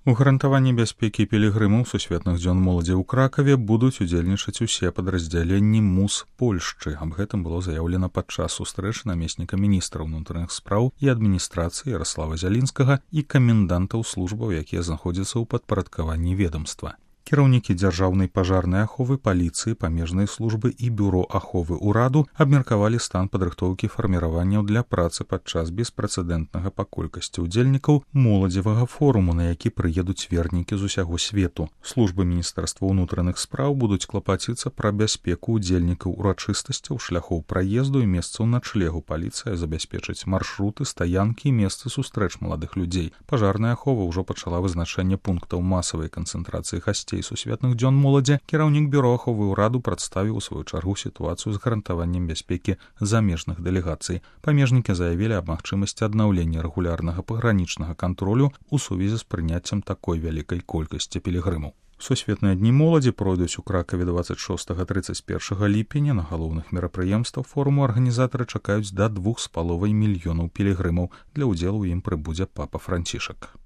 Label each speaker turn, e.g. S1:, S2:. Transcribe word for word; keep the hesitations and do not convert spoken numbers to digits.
S1: У гарантаванні бяспекі пілігрымаў сусветных дзён моладзі ў Кракаве будуць удзельнічаць усе падраздзяленні МУС Польшчы. Аб гэтым было заяўлена падчас сустрэчы намесніка міністра ўнутраных спраў і адміністрацыі Яраслава Зялінскага і камендантаў службаў, якія знаходзяцца ў падпарадкаванні ведамства. Кіраўнікі дзяржаўнай пажарнай аховы, паліцыі, памежнай службы і бюро аховы ўраду абмеркавалі стан падрыхтоўкі фарміраванняў для працы падчас беспрэцэдэнтнага па колькасці ўдзельнікаў моладзевага форуму, на які прыедуць вернікі з усяго свету. Службы міністэрства ўнутраных спраў будуць клапаціцца пра бяспеку ўдзельнікаў урачыстасцяў, шляхоў праезду і месцаў начлегу. Паліцыя забяспечыць маршруты, стаянкі і месцы сустрэч маладых людзей. Пажарная ахова ўжо пачала вызначэнне пунктаў масавай канцэнтрацыі гасцей сусветных дзён моладзі. Кіраўнік бюро аховы ўраду прадставіў у сваю чаргу сітуацыю з гарантаваннем бяспекі замежных дэлегацый. Памежнікі заявілі аб магчымасці аднаўлення рэгулярнага пагранічнага кантролю ў сувязі з прыняццем такой вялікай колькасці пілігрымаў. Сусветныя дні моладзі пройдуць у Кракаве дваццаць шостага - трыццаць першага ліпеня. На галоўных мерапрыемствах форуму арганізатары чакаюць да двух з паловай мільёнаў пілігрымаў. Для ўдзелу ў ім прыбудзе папа Францішак.